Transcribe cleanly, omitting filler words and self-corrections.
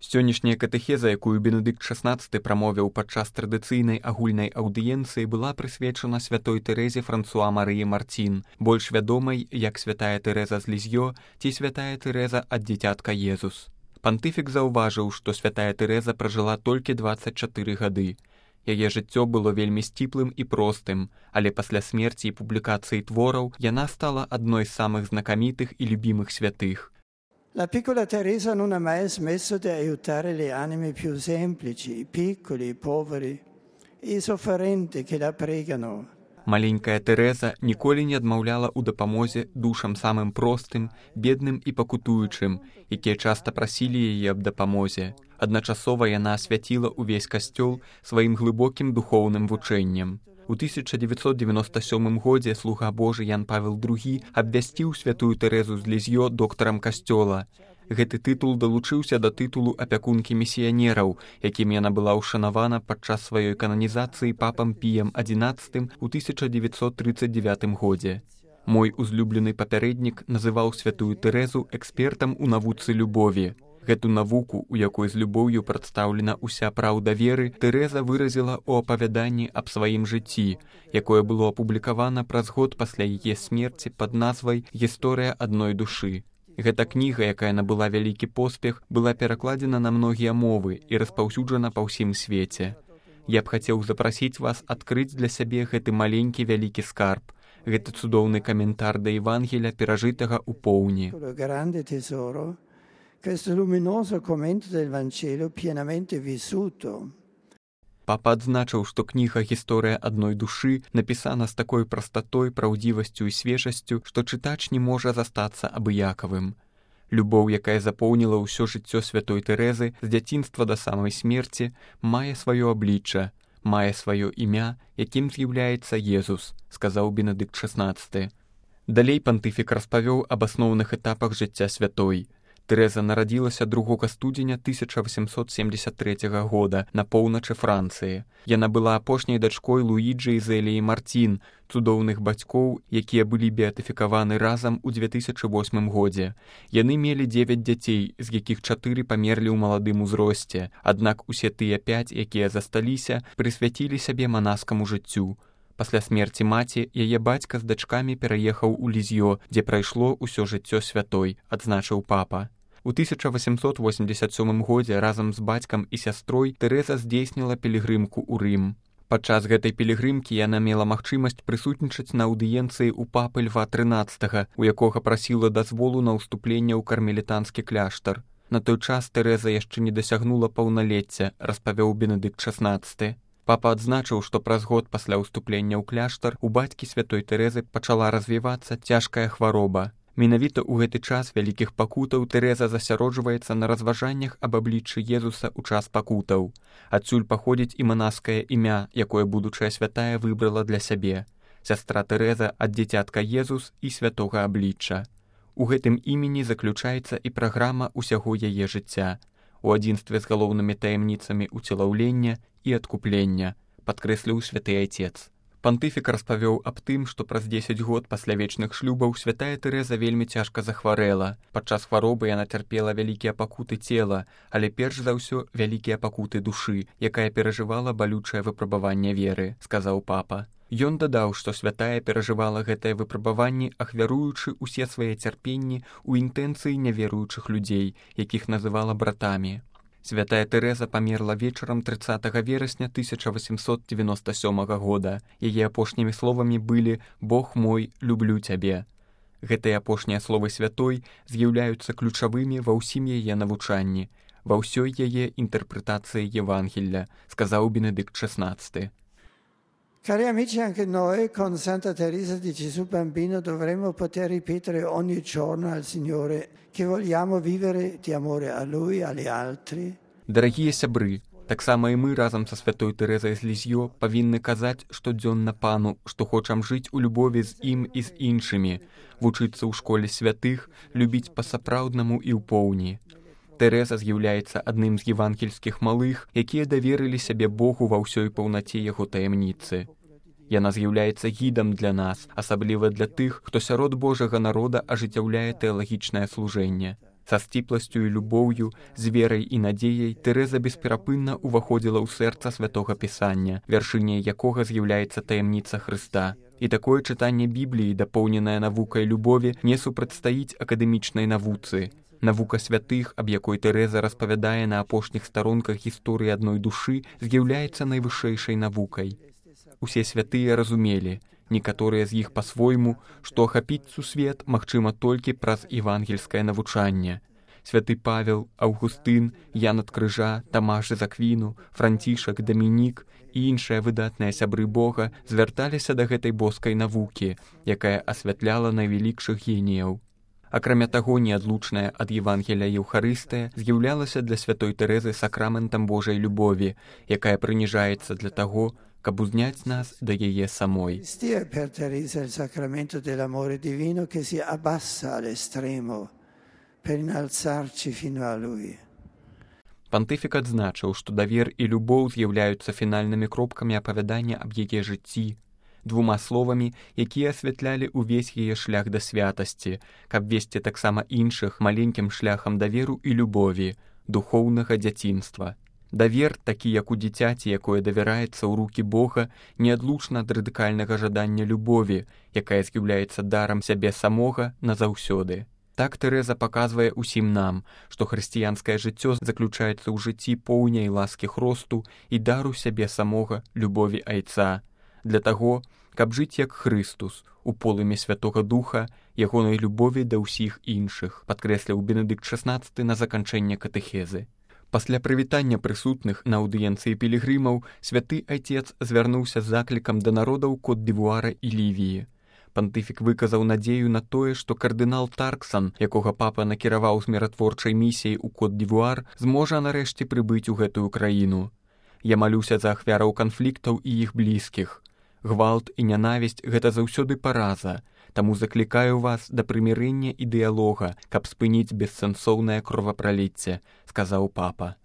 Сённяшняя катэхеза, якую Бенедыкт XVI прамовіў падчас традыцыйнай агульнай аўдыенцыі, была прысвечана святой Тэрэзе Франсуа Марыі Мартін, больш вядомай як святая Тэрэза з Лізьё ці святая Тэрэза ад дзіцятка Езус. Пантыфік заўважыў, што святая Тэрэза пражыла толькі 24 гады. Яе жыццё было вельмі сціплым і простым, але пасля смерці і публікацыі твораў яна стала адной з самых знакамітых і любімых святых. La piccola Teresa non ha mai smesso di aiutare le anime più semplici, i piccoli, i poveri, i sofferenti che la pregano. Маленькая Тэрэза ніколі не адмаўляла ў дапамозе душам самым простым, бедным і пакутуючым, якія часта прасілі яе аб дапамозе. Адначасова яна асвяціла ўвесь касцёл сваім глыбокім духоўным вучэннем. У 1997 годзе слуга Божы Ян Павел II абвясціў святую Тэрэзу з Лізьё доктарам касцёла. Гэты тытул далучыўся да тытулу апякункі місіянераў, якім яна была ўшанавана падчас сваёй кананізацыі папам Піем XI у 1939 годзе. Мой узлюблены папярэднік называў святую Тэрэзу экспертам у навуцы любові. Гэту навуку, у якой з любоўю прадстаўлена ўся праўда веры, Тэрэза выразіла ў апавяданні аб сваім жыцці, якое было апублікавана праз год пасля яе смерці пад назвай «Гісторыя адной душы». Гэта кніга, якая набыла вялікі поспех, была перакладзена на многія мовы і распаўсюджана па ўсім свеце. Я б хацеў запрасіць вас адкрыць для сябе гэты маленькі вялікі скарб, гэты цудоўны каментар да Евангеля, перажытага ў поўні. Questo luminoso commento del Vangelo pienamente vissuto. Папа адзначыў, што кніга «Гісторыя адной душы» напісана з такой прастатой, праўдзівасцю і свежасцю, што чытач не можа застацца абыякавым. Любоў, якая запоўніла ўсё жыццё святой Тэрэзы з дзяцінства да самай смерці, мае сваё аблічча, мае сваё імя, якім з'яўляецца Езус, сказаў Бенедыкт XVI. Далей пантыфік распавёў аб асноўных этапах жыцця святой. Тэрэза нарадзілася 2 студзеня 1873 года на поўначы Францыі. Яна была апошняй дачкой Луіджы і Зеліі Мартін, цудоўных бацькоў, якія былі беатыфікаваны разам у 2008 годзе. Яны мелі 9 дзяцей, з якіх 4 памерлі ў маладым узросце, аднак усе тыя 5, якія засталіся, прысвяцілі сябе манаскаму жыццю. Пасля смерці маці, яе бацька з дачкамі пераехаў у Лізьё, дзе прайшло ўсё жыццё святой, адзначыў папа. У 1887 годзе разам з бацькам і сястрой Тэрэза здзейсніла пілігрымку ў Рым. Падчас гэтай пілігрымкі яна мела магчымасць прысутнічаць на аўдыенцыі ў папы Льва XIII, у якога прасіла дазволу на ўступленне ў кармелітанскі кляштар. На той час Тэрэза яшчэ не дасягнула паўналецця, распавёў Бенедыкт XVI. Папа адзначыў, што праз год пасля ўступлення ў кляштар у бацькі святой Тэрэзы пачала развівацца цяжкая хвароба. Менавіта ў гэты час вялікіх пакутаў Тэрэза засяроджваецца на разважаннях аб абліччы Езуса ў час пакутаў. Адсюль паходзіць і манаскае імя, якое будучая святая выбрала для сябе. Сястра Тэрэза ад дзіцятка Езус і святога аблічча. У гэтым імені заключаецца і праграма ўсяго яе жыцця, у адзінстве з галоўнымі таямніцамі ўцелаўлення і адкуплення, падкрэсліў святы айцец. Пантыфік распавёў аб тым, што праз 10 год пасля вечных шлюбаў святая Тэрэза вельмі цяжка захварэла. Падчас хваробы яна цярпела вялікія пакуты цела, але перш за ўсё вялікія пакуты душы, якая перажывала балючае выпрабаванне веры, сказаў папа. Ён дадаў, што святая перажывала гэтае выпрабаванне, ахвяруючы ўсе свае цярпенні ў інтэнцыі няверуючых людзей, якіх называла братамі. Святая Тэрэза памерла вечарам 30 верасня 1897 года. Яе апошнімі словамі былі «Бог мой, люблю цябе». Гэтыя апошнія словы святой з'яўляюцца ключавымі ва ўсім яе навучанні, ва ўсёй яе інтэрпрэтацыі Евангелля, сказаў Бенедыкт XVI. Cari amici, anche noi con Santa Teresa di Gesù Bambino dovremmo poter ripetere ogni giorno al Signore che vogliamo vivere di amore a Lui, agli altri. Дарагія сябры, таксама і мы разам са святой Тэрэзай з Лізьё павінны казаць штодзённа Пану, што хочам жыць у любові з ім і з іншымі, вучыцца ў школе святых, любіць па-сапраўднаму і ў поўні. Тэрэза з'яўляецца адным з евангельскіх малых, якія даверылі сябе Богу ва ўсёй паўнаце яго таямніцы. Яна з'яўляецца гідам для нас, асабліва для тых, хто сярод Божага народа ажыццяўляе тэалагічнае служэнне. Са сціпласцю і любоўю, з верай і надзеяй Тэрэза бесперапынна ўваходзіла ў сэрца святога Пісання, вяршыняй якога з'яўляецца таямніца Хрыста. І такое чытанне Бібліі, дапоўненае навукай любові, не супрацьстаіць акадэмічнай навуцы. Навука святых, аб якой Тэрэза распавядае на апошніх старонках гісторыі адной душы, з'яўляецца найвышэйшай навукай. Усе святыя разумелі, некаторыя з іх па-свойму, што ахапіць сусвет магчыма толькі праз евангельскае навучанне. Святы Павел, Аўгустын, Ян ад Крыжа, Тамаш з Аквіну, Францішак, Дамінік і іншыя выдатныя сябры Бога звярталіся да гэтай боскай навукі, якая асвятляла найвялікшых геніяў. Акрамя таго, неадлучная ад Евангелія Еўхарыстыя з'яўлялася для святой Тэрэзы сакраментам Божай любові, якая прыніжаецца для таго, каб узняць нас да яе самой. Stia per Teresa il sacramento dell'amore divino che si abbassa all'estremo per innalzarci fino a lui. Пантыфік адзначыў, што давер і любоў з'яўляюцца фінальнымі кропкамі апавядання аб яе жыцці, двума словамі, якія асвятлялі ўвесь яе шлях да святасці, каб весці таксама іншых маленькім шляхам даверу і любові, духоўнага дзяцінства. Давер, такі як у дзіцяці, якое давяраецца ў рукі Бога, неадлучна ад радыкальнага жадання любові, якая з'яўляецца дарам сябе самога назаўсёды. Так Тэрэза паказвае ўсім нам, што хрысціянскае жыццё заключаецца ў жыцці поўняй ласкі Хросту і дару сябе самога любові Айца, для таго, каб жыць як Хрыстус, у полымі Святога Духа, ягонай любові да ўсіх іншых, падкрэсліў Бенедыкт XVI на заканчэнне катэхезы. Пасля прывітання прысутных на аўдыенцыі пілігрымаў святы Айцец звярнуўся з заклікам да народаў Кот-д'Івуара і Лівіі. Пантыфік выказаў надзею на тое, што кардынал Тарксан, якога папа накіраваў з міратворчай місіяй у Кот-д'Івуар, зможа нарэшце прыбыць у гэтую краіну. Я малюся за ахвяраў канфліктаў і іх блізкіх. Гвалт і нянавісць – гэта заўсёды параза, таму заклікаю вас да прымірэння і дыялога, каб спыніць бессэнсоўнае кровапраліцце, сказаў папа.